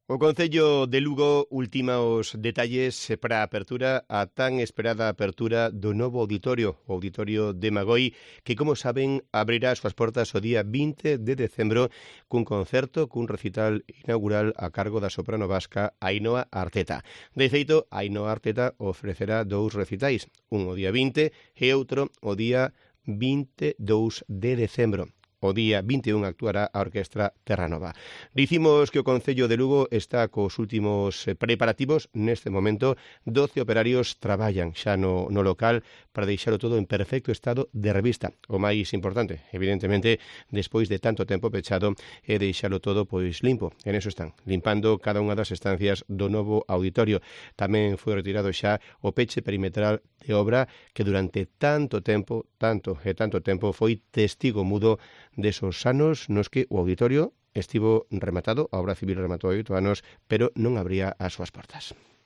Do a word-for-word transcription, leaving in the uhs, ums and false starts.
O Concello de Lugo ultima os detalles para a apertura, a tan esperada apertura do novo auditorio, o Auditorio de Magoi, que, como saben, abrirá as súas portas o día vinte de decembro cun concerto, cun recital inaugural a cargo da soprano vasca Ainhoa Arteta. De feito, Ainhoa Arteta ofrecerá dous recitais, un o día vinte e outro o día vinte e dous de decembro. O día vinte e un actuará a Orquestra Terranova. Dicimos que o Concello de Lugo está cos últimos preparativos. Neste momento, doce operarios traballan xa no, no local para deixalo todo en perfecto estado de revista. O máis importante, evidentemente, despois de tanto tempo pechado, é deixalo todo pois limpo. En eso están, limpando cada unha das estancias do novo auditorio. Tamén foi retirado xa o peche perimetral de obra que durante tanto tempo, tanto e tanto tempo, foi testigo mudo desos anos nos que o auditorio estivo rematado, a obra civil rematou hai oito anos, pero non abría as súas portas.